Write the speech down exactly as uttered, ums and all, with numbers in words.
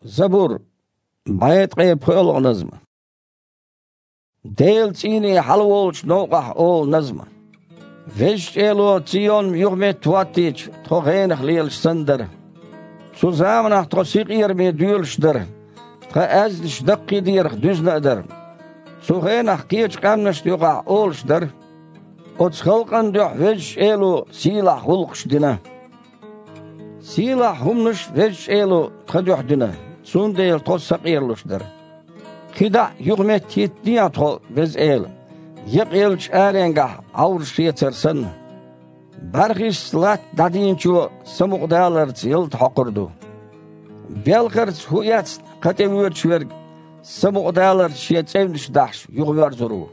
Забур, бӀе ткъе пхоьалгӀа назма. Делан цӀийне хьалаволчу новкъахь олу назма. Везачу Эло Цийон юхаметтахӀоттийча, тхо гӀенах лелаш санна дара. Цу заманахь тхо синкъераме доьлуш дара, тхан аьзнаш даккхийдерах дуьзна а дара. Цу хенахь кхечу къаьмнашна юкъахь олуш дара: «Оцу халкъана дуьхьа Везачу Эло сийлахь гӀуллакхаш дина». Сийлахь хӀуманаш Везачу Эло тхан дуьхьа дина, цундела тхо сакъералуш дара. КхидӀа а юхаметтахӀиттадехьа тхо, Веза Эла, екъаеллачу аренгахь Ӏовраш шецар санна. БӀаьрхишца латта дӀадийначо самукъадаларца ялта хьокхур ду. Белхарца хӀу эцна кха тӀевоьдуш верг самукъадаларца шен цӀевнаш дахьаш юхавоьрзур ву.